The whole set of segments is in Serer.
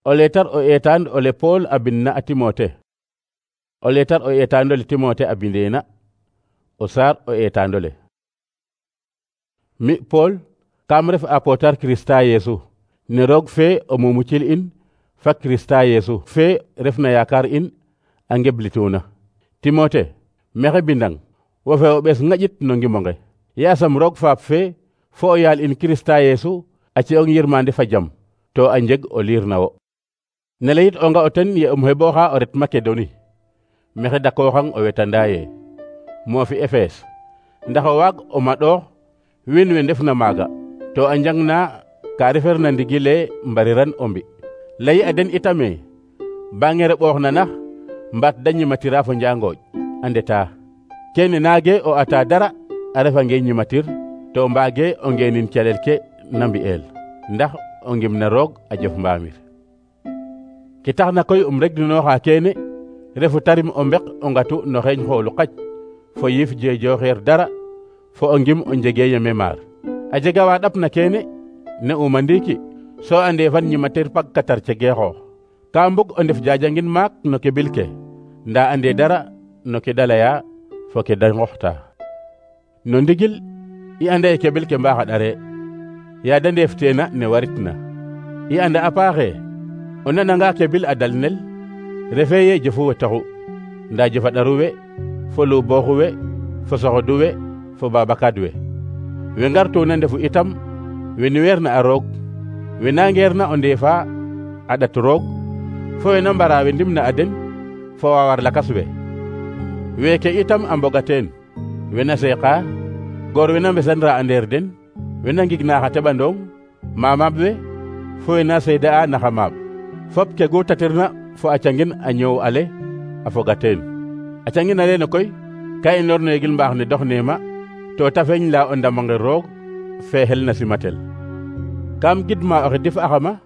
O leetar o eetaan ole Pool a bindna a Timote. O leetar o eetaandole Timote a bindeena. O saar o eetaandole. Mi Pool kam ref apootar Kirista Yeesu ne roog fe o mumucil in fa Kirista Yeesu fe refna yaakaar in a ngeblituuna. Timote mexe bindang wo fe o ɓees ŋaƴit no ngimonge. Yaasam roog faap fe fo o yaal in Kirista Yeesu a ci'ong yirmande fa jam to a njeg o liir na wo. Ne layit onga o ten ye xeɓooxa o ret Makedoni mexe dakooxang o wetandaaye moofi Efes ndax o waag o maɗoox wiin we ndefna maaga to a njangna ka referna ndigile mbariran o mbi. Layi a den itame ba ngere ɓooxna nax mbaat da ñimatira fo njangooj a ndeta. Kene naage o ata dara a refange ñimatir to mbaage o ngeenin calel ke na mbi'eel ndax o ngimna roog a jof mbaamir. Ke taxna koy regdinooxa keene refu tarim o mbek o ngatu no xeeñ xoolu qaj fo yiif jeejooxeer dara fo o ngim o njege yeme maar. A jega wa ɗapna keene ne uma ndiiki so ande fan ñimatir pak katar cegeexoox. Ka mbug o ndef jajangin maak no ke bil ke nda ande dara no ke da laya fo ke da nqoxta. No ndigil i anda ye ke bil ke mbaaxa ɗare ya da ndeefteena ne waritna. I anda a paaxe o nananga ke bil a dalnel refe ye jëfu we taxu nda jëfa ɗaru we fo luubooxu we fo soxodu we fo babakad we. We ngartuuna ndefu itam we niweerna a roog we nangeerna o ndeefa a ɗat roog fo we na mbara we ndimna a den fo waawar lakas we. Weeke itam a mboga teen we na seeqa goor we na mbesanra a ndeer den we na ngigna xa teɓandong maamaab we fo we na seeda'a naxa maab. Fop ke gu tatirna fo a cangin a ñoow ale a foga teen. A cangin alene koy ka i norneegil mbaax ne doxneema to ta feeñ la o ndamange roog fe xel na simatel. Kam gidma oxe dif axama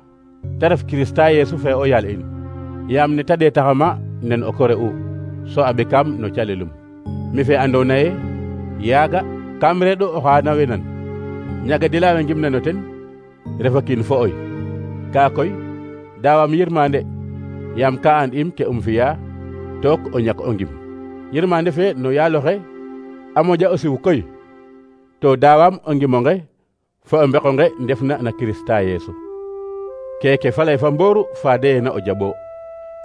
te ref Kirista Yeesu fe o yaal in yaam ne ta ɗeetaxama nen o kore u so a ɓekam no calelum. Mi fe andoona ye yaaga kam reɗo oxa na wenan ñagadila we ngimna no ten refa kiin fo oy. Ka koy daawam yirmande yaam ka an im ke fi'a took o ñak o ngim. Yirmande fe no yaaloxe a moƴa o siw koy to daawam o ngimonge fo o mbeqonge ndefna na Kirista Yeesu. Keke falay fa mbooru faadeena o jaɓo.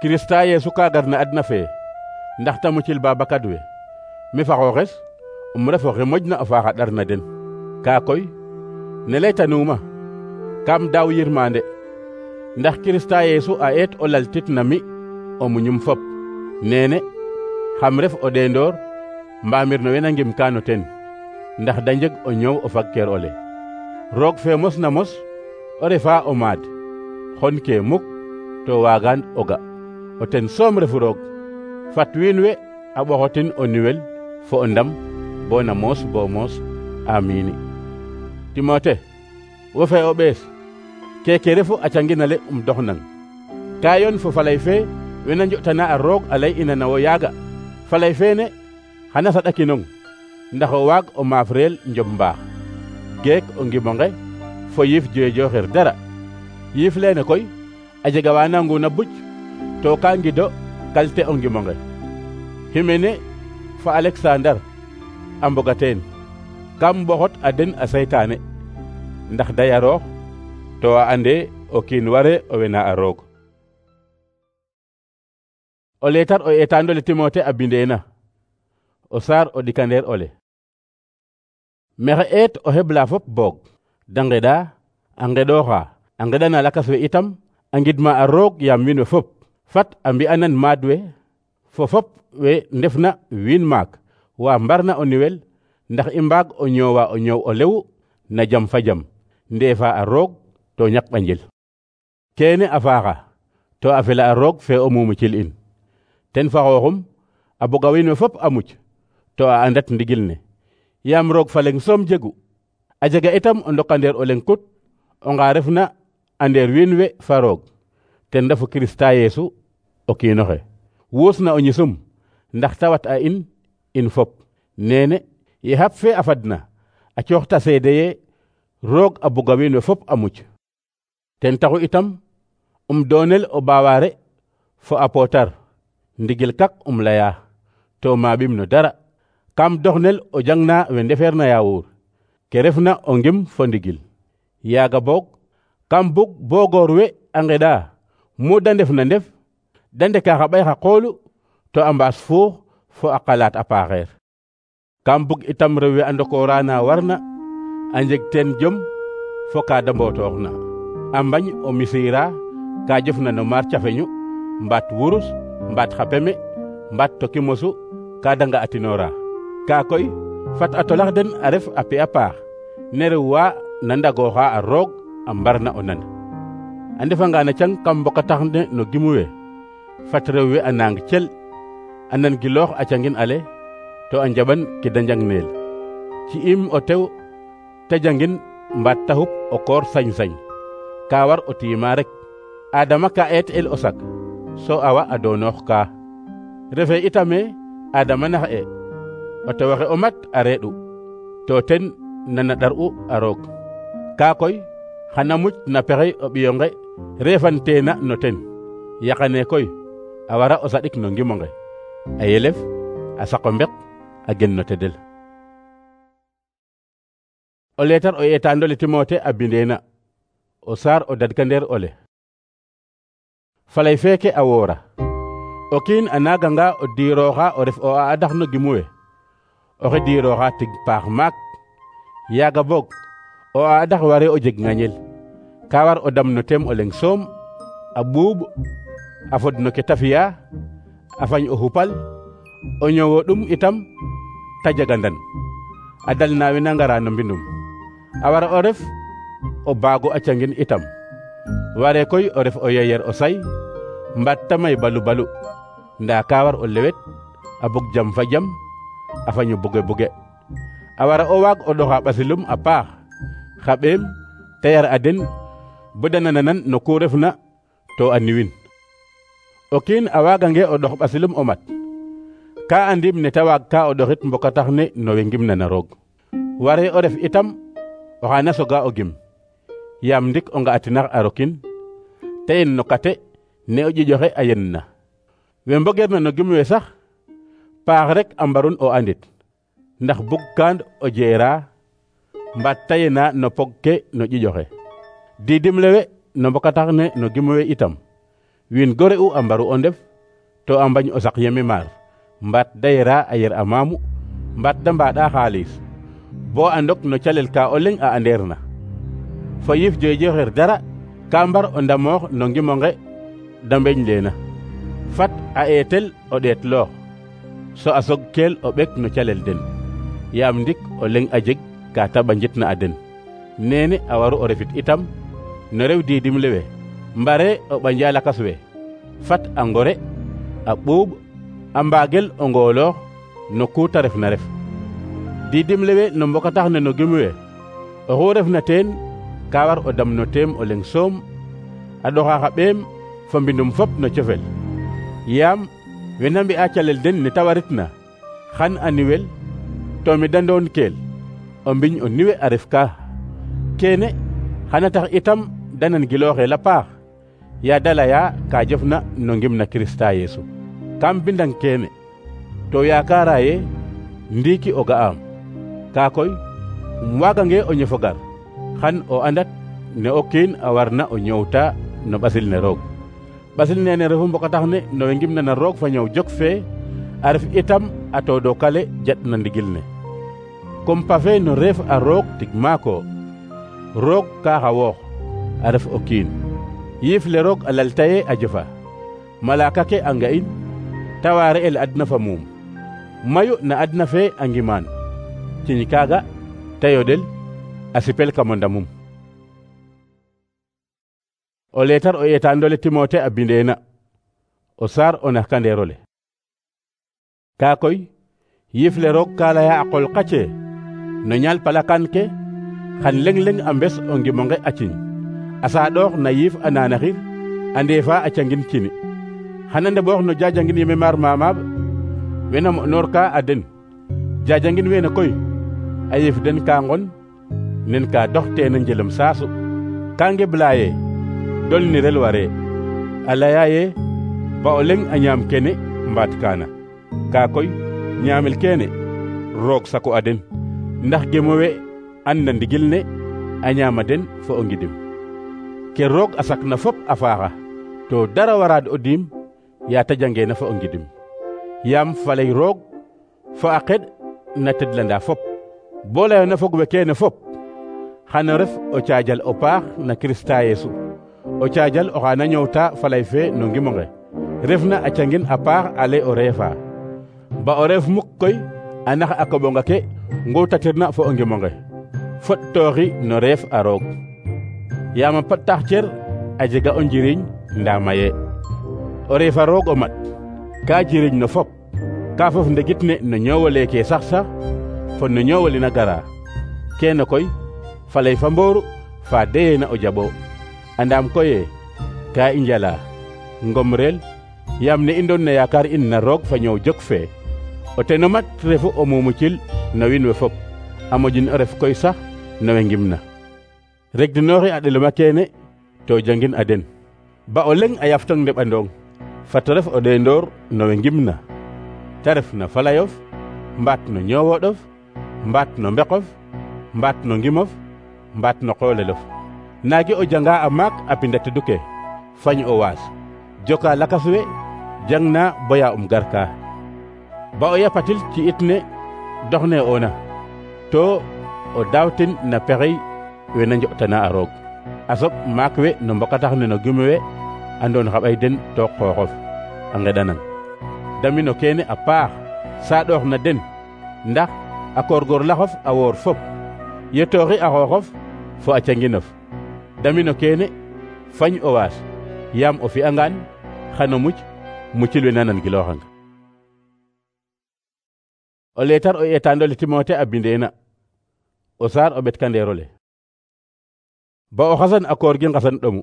Kirista Yeesu ka garna adna fe ndax ta mucil babakad we. Mi fa xooxes ref oxe moƴna o faaxa ɗar na den. Ka koy ne laytanuuma kam daaw yirmande ndax Kirista Yeesu a eet o laltit na mi o muñum fop. Nene xam ref o ɗeendoor mbaamir no wena ngim ka no ten ndax da njeg o ñoow o fagkeer ole. Roog fe mos na mos o refa o maad xon ke muk to waagaan o ga. O ten soom refu roog fat wiin we a ɓoxotin o niwel fo o ndam bo na moos bo moos. Amiin. Timote wo fe o ɓees keke refu a canginale doxnang. Ka yoon fo falay fe wena njo'tana a roog a lay ina na wo yaaga. Falay feene xana saɗakinong ndax o waag o maaf reel njob mbaax geek o ngimonge fo yiif jeejooxir dara. Yiif leene koy a jega wa nanguna buc to ka ngido kalte o ngimonge. Ximene fa Alexandar a mboga teen kam mboxot a den a saytaane ndax da yaroox to a ande o kiin ware o wena a roog. O leetar o eetaandole Timote a bindeena. O saar o ɗikandeer ole. Mexe eet o xebla fop boog da ngeɗa a ngeɗooxa a ngeɗana lakas we itam a ngidma a roog yaam wiin we fop fat a mbi'anan maad we fo fop we ndefna wiin maak wa mbarna o niwel ndax i mbaag o ñoowa o ñoow o lew na jam fa jam ndeefa a roog to ñak ɓanjel. Keene a faaxa to a fela a roog fe o mumucil in. Ten fa xooxum a boga wiin we fop a muc to a andat ndigil ne yaam roog fa leŋ soom jegu. A jega itam o ndokandeer o leŋ kut o nga refna a ndeer wiin we fa roog ten refu Kirista Yeesu o kiinoxe. Wuusna o ñisum ndax ta wat a in fop. Nene ye xap fe a fadna a cooxta seede ye roog a buga wiin we fop a muc. Ten taxu itam doonel o baaware fo apotar ndigil kak laya to maɓim no dara. Kam doxnel o jangna we ndefeerna yaawur ke refna o ngim fo ndigil. Yaaga boog kam bug bo goor we a ngeɗa mu de ndef na ndef de ndeka xa ɓay xa qoolu to a mbaas fuux fo a qalaat a paaxeer. Kam bug itam rew we a ndokoora na warna a njeg teen jom fo ka de mbotooxna, a mbañ o misiira ka jofna no maar cafeñu mbaat wurus mbaat xa peme mbaat toki mosu ka de nga atinoora. Ka koy fat a tolax den a ref a pe a paax ne rew wa na ndagooxa a roog a mbarna o nan. A ndefanga na cang kam mbokatax ne no gimu we fat rew we a naang cel a nan giloox a cangin ale to a njaɓan ke de njangneel. Ci'im o tew te jangin mbaat te xup o koor sañ-sañ ka war o tiima rek. Adama ka eet el o sak so awa a doonoox ka. Refe itame Adama nax e o tewoxe o mat a reeɗu to ten nana ɗar'u a roog. Ka koy xana muc na pexey o ɓiyonge refanteena no ten. Yaqane koy a wara o saɗik no ngimonge a yelef a saqo mbek a gen no tedel. O leetar o eetaandole Timote a bindeena o saar o dadkandeer ole. Falay feeke a woora o kiin a naaganga o diirooxa o ref o adax no gimu we oxe diirooxa tig paax maak. Yaaga boog o adax ware o jeg ŋañel ka war o dam no teem o leŋ soom a ɓuuɓ a fod no ke ta fi'a a fañ o xupal o ñowo ɗum itam ta jagandan a dal na we na ngara no mbindum. A wara o ref o baago a cangin itam. Ware koy o ref o yeyer o say mbaat ta may balu balu ndaa ka war o lewet a bug jam fa jam a faño buge buge. A wara o waag o ɗoxa ɓasilum a paax xa ɓeem te yar a den bo de nananan no ku refna to a niwin. O kiin a waagange o ɗox ɓasilum o mat ka andim ne ta waag ka o ɗoxit mbokatax ne no we ngimna na roog. Ware o ref itam oxa na soga o gim yaam ndik o nga'atinax a rokin te yen no kate ne o ƴiƴoxe a yenna. We mbogeerna no gim we sax paax rek a mbarun o andit ndax bug kaan o jeera mbaat ta yena no pog ke no ƴiƴoxe. Diidim lewe no mbokatax ne no gim we itam wiin gore u a mbaru o ndef to a mbañ o sak yeme maar mbaat da yera a yer a maamu mbaat da mbaɗa xaalis bo a ndok no calel ka o leŋ a andeer na. Fo yif jejoxer dara ka mbar o ndamoox no ngimonge da mbeñ leena. Fat a eetel o ɗeet loox so a sog keel o ɓek no calel den yaam ndik o leŋ a jeg ka ta ɓanjitna a den. Neene a waru o refit itam no rew diidim lewe mbare o ɓanja lakas we fat a ngore a ɓuuɓ a mbaagel o ngooloox no ku ta ref na ref. Diidim lewe no mbokatax ne no gim we oxu refna teen ka war o dam no teem o leŋ soom a ɗoxa xa ɓeem fo mbindum fop no cofel yaam wena mbi'a calel den ne ta waritna xan a niwel to mi de ndoon keel o mbiñ o niwe a ref ka. Keene xana tax itam de nan gilooxel a paax yaa da laya ka jofna no ngim na Kirista Yeesu. Kam bindang keene to yaakaara ye ndiiki o ga'aam. Ka koy waagange o ñofo gar xan o andat ne o kiin a warna o ñoowta no ɓasil ne roog. Ɓasil nene refu mbokatax ne no we ngimna na roog fa ñow jok fee a ref itam a toodokale jaɗ na ndigil ne. Kompa fe no reef a roog tig maako roog ka xawoox a ref o kiin yiif le roog a laltaye a jofa malaaka ke a nga'in ta waare el adna fa muum mayu na adna fe a ngimaan ciñ kaaga te yoɗel a sipel kamo ndamum. O leetar o eetaandole Timote a bindeena o saar o naxkandeerole. Kaa koy yiif le roog ka laya a qol qace no ñaal palakan ke xan leŋ-leŋ a mbes o ngimonge a ciñ a saaɗoox na yiif a naanaxir a ndeefa a cangin cini xana ndeɓoox no jajangin yeme maar mamaaɓ wena mo'noor ka a den. Jajangin weene koy a yiif den ka ngon nen ka dox teena njelem saasu ka ngeblaaye dol ni rel waree a laya ye ba o leŋ a ñaam kene mbaat kaana, kaa koy ñaamel keene roog saku a den, ndax gemowe an na ndigil ne a ñaama den fo o ngidim. Ke roog a sakna fop a faaxa, to dara waraad o diim yaa ta jangeena fo o ngidim. Yaam faley roog fo a qeɗ na tedlanda fop. Bo layoona fog we keene fop, xano ref o caajal o paax na Kirista Yesu, o caajal oxa na ñoowta faley fe no ngimonge, refna a cangin a paax ale o reefa. Ba o reef muk koy a nax a koɓonga ke nguutatirna fo o ngimonge, foɗtooxi no reef a roog. Yaam a tax cer a jega o njiriñ ndaa maye. O reefa roog o mat ka jiriñ no fop, ka fof ndegit ne no ñoowole ke sax fo no ñoowolina gara. Keene koy faley fa mbooru fa deyeena o jaɓo. Andaam koye ka i njala ngom reel, yaam ne i ndoon na yaakaar in na roog fa ñoow jok fee, o teno mat refu o mumucil no wiin we fop, a moƴin o ref koy sax no we ngimna. Regdinooxi a ɗelema keene to jangin a den. Ba o leŋ a yaftong ndeɓandong, fat ref o ɗeendoor no we ngimna, ta ref na falayof, mbaat no ñoowoɗof, mbaat no mbeqof, mbaat no ngimof, mbaat no qoolelof. Naagi o janga a maak a pinda teduke, fañ o waas, joka lakas we, jangna boya garka. Ba o yapatil ci it ne doxne oona, to o daawtin na pexey we na njo'tana a roog. A soɓ maak we no mbokatax ne no gime we andoon xa ɓay den to xooxof a ngeɗanang. Damino keene a paax saaɗoox na den, ndax a koorgoorlaxof a woor fop, yetooxi a xooxof fo a canginof. Damino keene fañ o waas, yaam o fi'angaan xano mucil we na nangilooxang. O leetar o eetaandole Timote a bindeena o saar o ɓetkandeerole. Ba o xasan a koor gi nqasan ɗomu,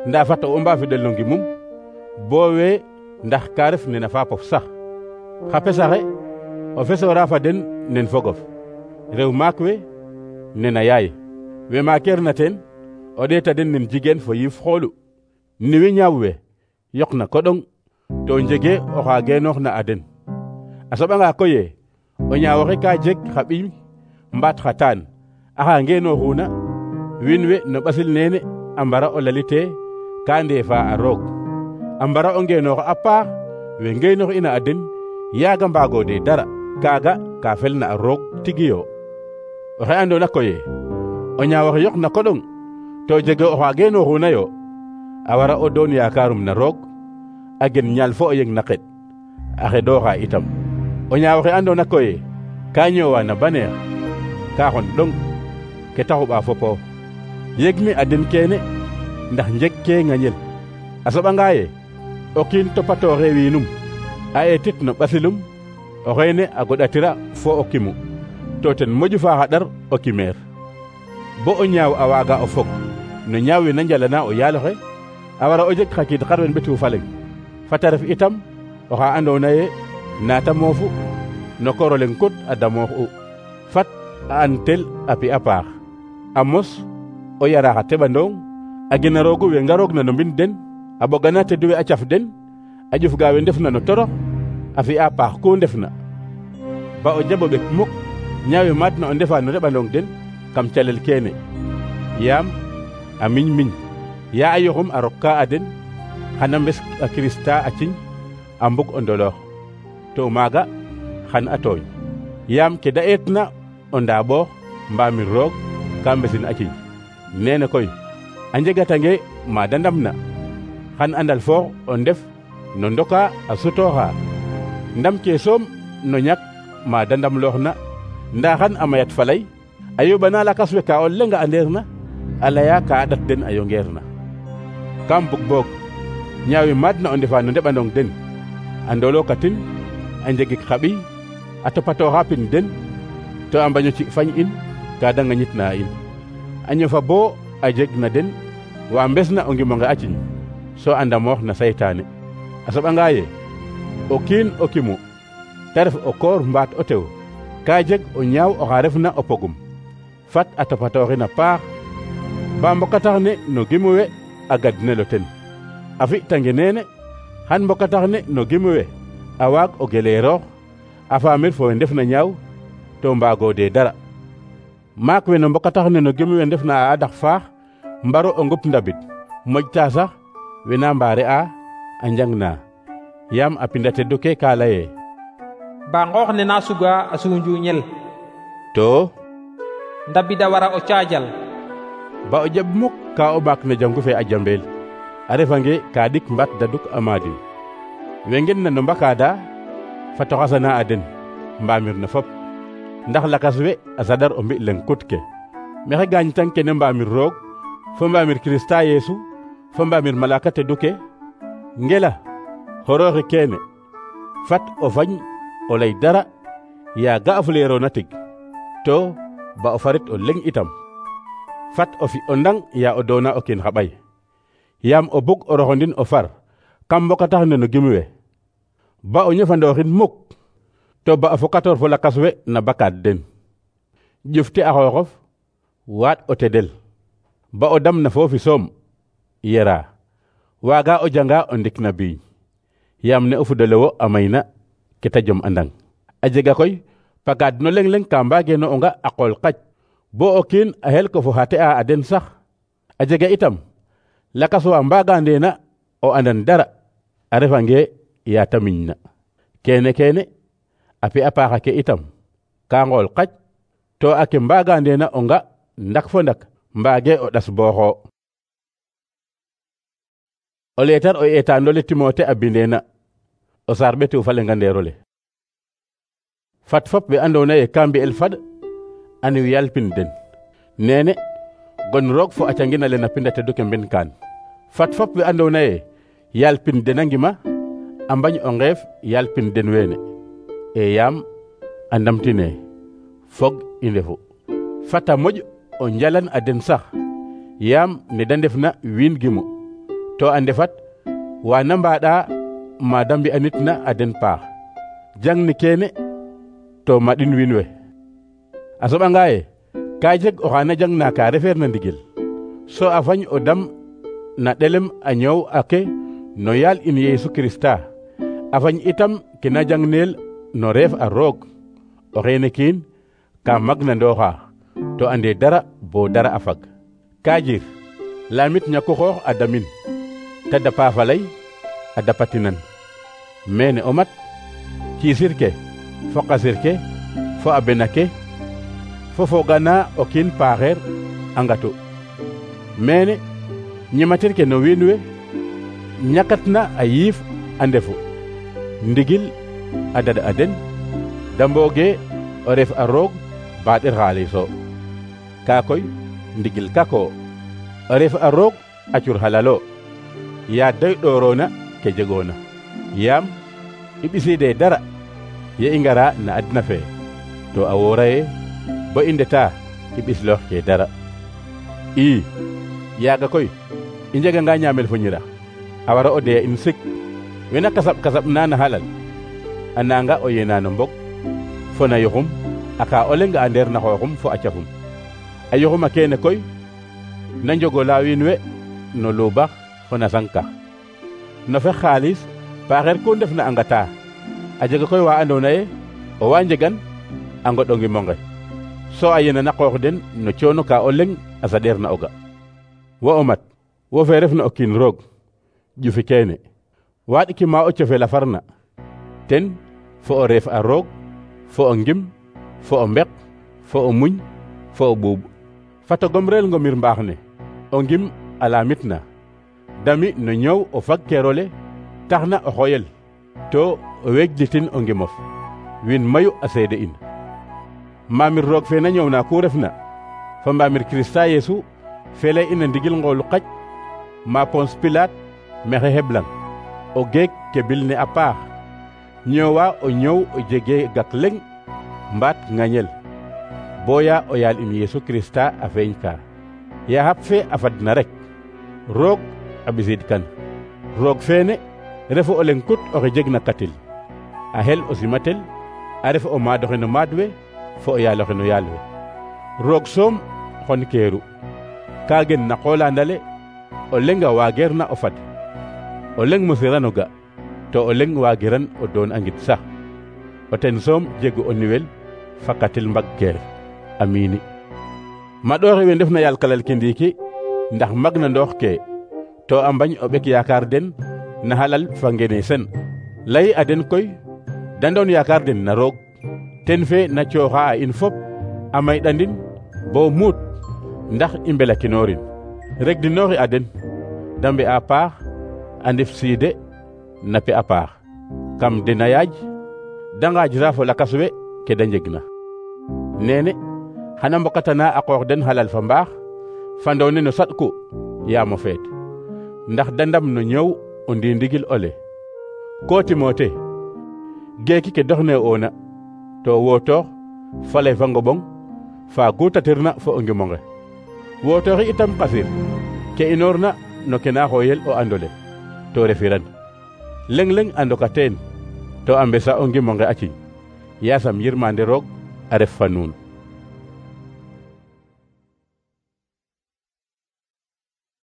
ndaa fat o mbaafidel no ngimum bo we ndax ka ref nena faapof sax. Xa pesaxe o fesoora fa den nen fogof, rew maak we nena yaay, we maakeerna teen o ɗeeta den nen jigéen fo yiif xoolu. Ni wi ñaaw we yoqna koɗong to njege oxa geenooxna a den. A soɓanga koye o ñaawoxe ka jeg xa ɓiy mbaat xa taan axa ngeenooxuna, wiin we no ɓasil neene a mbara o lalite ka ndeefa a roog, a mbara o ngeenoox a paax we ngeenoox'ina a den yaaga mbaagoode dara. Kaaga ka felna a roog tigiyo. Oxe andoona koye o ñaawoxe yoqna koɗong to jege oxa geenooxuna yo, a wara o doon yaakaarum na roog, a gen ñaal fo o yeng na qeɗ, a xeɗooxa itam. O ñaawoxe andoona koye ka ñoowa na baneex, ka xon ɗong ke ta xuɓa fopo. Yegmi a den keene ndax njeg ke ŋañel. A soɓanga ye o kiin topatooxe wiinum, a eetit no ɓasilum, o xeene a goɗatira fo o kimu, to ten moƴu faaxa ɗar o kimeer. Bo o ñaaw a waaga o fog no ñaaw we na njalana o yaaloxe, a wara o jeg xa kiid xarɓen ɓetu fa leŋ. Fata ref itam oxa andoona ye naata moofu no koor o leŋ kut a damoox'u. Fat a antel a pi'a paax, a mos o yara xa teɓandong, a gena roogu we ngaroogna no mbind den, a ɓogana tedu we a caf den, a ƴufga we ndefna no torox, a fi'a paax ku ndefna. Ba o jaɓo ɓek muk ñaawe maadna o ndefa no reɓandong den kam calel keene, yaam a miñ yaa a yoxum a rokka a den, xana mbes a Kirista a ciñ a mbug o ndoloox, to maaga xan a tooñ, yaam ke da eetna o ndaaɓoox mbaamir roog ka mbesin a ciñ. Neene koy a njegatange ma da ndamna, xan andal foox o ndef no ndoka a sutooxa, ndam ke soom no ñak ma da ndamlooxna, ndaa xan a mayat falay a yoɓana lakas we ka o lenga andeerna, a laya ka a ɗat den a yongeerna. Kam bug boog ñaawe maadna o ndefa no ndeɓandong den, a ndolookatin, a njegik xa ɓiy, a topatooxa pin den, to a mbaño ci fañ in ka da ŋañitna in, a ñofa bo a jeg na den wa mbesna o ngimonge a ciñ, so a ndamoox na saytaane. A soɓanga ye o kiin o kimu, ta ref o koor mbaat o tew, ka jeg o ñaaw oxa refna o pogum, fat a topatooxin a paax ba mbokatax ne no gimu we a gadnelo ten. a fi'tange nene xan mbokatax ne no gimu we a waag o geleeroox a faamir fo we ndefna ñaaw to mbaagode dara. maak we no mbokatax ne no gimu we ndefna a adax faax mbaro o ngup ndabid moƴta sax wena mbaare a njang na yaam a pinda teddu ke ka laye ba ngoox ne na suga a sunjuñel to ndabida wara o caajal ba o jaɓ muk ka o ɓaak no jangu fe a jambeel a refange ka ɗik mbat daduk a maadin we ngen na no mbakaada fato xasana a den mbamir no fop ndax lakas we a sadar o mbi leng kut ke mexe gaañ tang kene mbamir roog fo mbamir Kirista Yeesu fo mbamir malaka teddu ke ngela xorooxi keene fat o fañ o lay dara yaa ga'afuleerona tig to ba o farit o leng itam fat o fi o ndang yaa o doona o kiin xa ɓay yaam o bug o roxondin o far kam mbokatax ne no gimu we ba o ñofandooxin muk to ba o fokatoor fo lakas we na bakaad den ƴufti a xooxof waaɗ o tedel ba o dam na foofi soom yera waaga o janga o ndik na biiñ yaam ne o fudalewo a mayna ke ta jom andang a jega koy pakaad no leng-leng ka mbageeno o nga a qool qac bo o kiin a xel ko fo xate a den sax a jega itam lakas wa mbaagandeena o andan dara a refange yaa ta miñna keene a pi a paaxa ke itam ka ngool qac to a ke mbaagandeena o nga ndak fo ndak mbaage o ɗas booxo. o leetar o eetaandole Timote a bindeena o saar ɓetu fa lengandeerole fat fop we andoona ye ka mbi'el fad a niw yalpin den nene gon roog fo a cangina le na pinda teddu ke mben kaan fat fop we andoona ye yalpin den a ngima a mbañ o ngeef yalpin den weene e yaam a ndamtine fog i ndefu fata moƴ o njalan a den sax yaam ne da ndefna wiin gimu to a ndefat wana mbaɗa ma da mbi'anitna a den paax jang ni keene to maɗin wiin we a soɓanga ye ka jeg oxa na jangna ka refeer na ndigil so a fañ o dam na ɗelem a ñoow ake no yaal in Yeesu Kirista a fañ itam ke na jangneel no reef a roog o xeene kiin ka magna ndooxa to ande dara bo dara a fag ka jir lamit ñako xoox a damin ta dapa falay a dapatinan mene o mat kiisir ke fo qasir ke fo a bena ke fo fogana o kiin paaxeer a ngatu mene ñimatir ke no wiin we ñakatna a yiif a ndefu ndigil a dada a den da mbooge o ref a roog baaɗir xaaliso kaa koy ndigil kako o ref a roog a cur halalo yaa doy ɗoorona ke jegoona yaam i ɓisiide dara ye i ngara na adna fe to a woora ye bo i ndeta i ɓisloox ke dara ii yaaga koy i njeganga ñaamel fo ñirax a wara o doya in sik wena kasab na na halal a nanga o yena no mbog fo na yoxum a ka o lenga a ndeer na xooxum fo a cafum a yoxum a keene koy na njogola wiin we no luubax fo na sankax no fe xaalis paaxeer ku ndef na a ngata a jega koy wa andoona ye o wa njegan a ngoɗongimonge so a yena na qoox den no coono ka o leng a saɗeer na o ga wo o mat wo fe ref na o kiin roog ƴufi keene waaɗiki ma o cofel a farna ten fo o reef a roog fo o ngim fo o mbek fo o muñ fo o ɓuuɓ fato gomreel ngomir mbaax ne o ngim a laamit na dami no ñoow o fag keerole tax na o xoyel to o weejlitin o ngimof wiin mayu a seede in maamir roog fe na ñoow na ku refna fo mbaamir Kirista Yeesu fe lay ina ndigil ngoolu qac ma Pons Pilaat mexe heblang o geek ke bil ne a paax ñoowa o ñoow o jege gak leng mbaat ŋañel boya o yaal in Yeesu Kirista a feeñ ka ya xap fe a fadna rek roog a ɓisiid kan roog feene refu o leng kut oxe jeg na katil a xel o simatel a ref o maadoxe no maad we fo o yaaloxe no yaal we roog soom xon keeru ka gen na qolandale o lenga waageer na o fad o leŋ mosirano ga to o leŋ waagiran o doon a ngid sax o ten soom jegu o niwel fakatil mbag keer. Amiini. maɗooxe we ndefna yaal kalal ke ndiiki ndax mag na ndoox ke to a mbañ o ɓek yaakaar den na xalal fa ngene sen lay a den koy da ndoon yaakaar den na roog ten fe na cooxa a in fop a mayiɗandin bo muut ndax i mbelakinoorin. regdinooxi a den da mbe'a paax a ndef siide nape a paax kam den a yaaj da ngaajra fo lakas we ke da njegna. neene xana mbokatana a qoox den xalal fa mbaax fandoone no saɗku yaamo feet ndax da ndam no ñoow o ndindigil ole. ko Timote geeki ke doxne oona to wootoox faley fa ngoɓong fa gutatirna fo o ngimonge. wootooxi itam qasir ke inoorna no ke na xooyel o andole to refiran leŋ-leŋ a ndoka teen to a mbesa o ngimonge a ciñ. yaasam yirmande roog a ref fa nuun.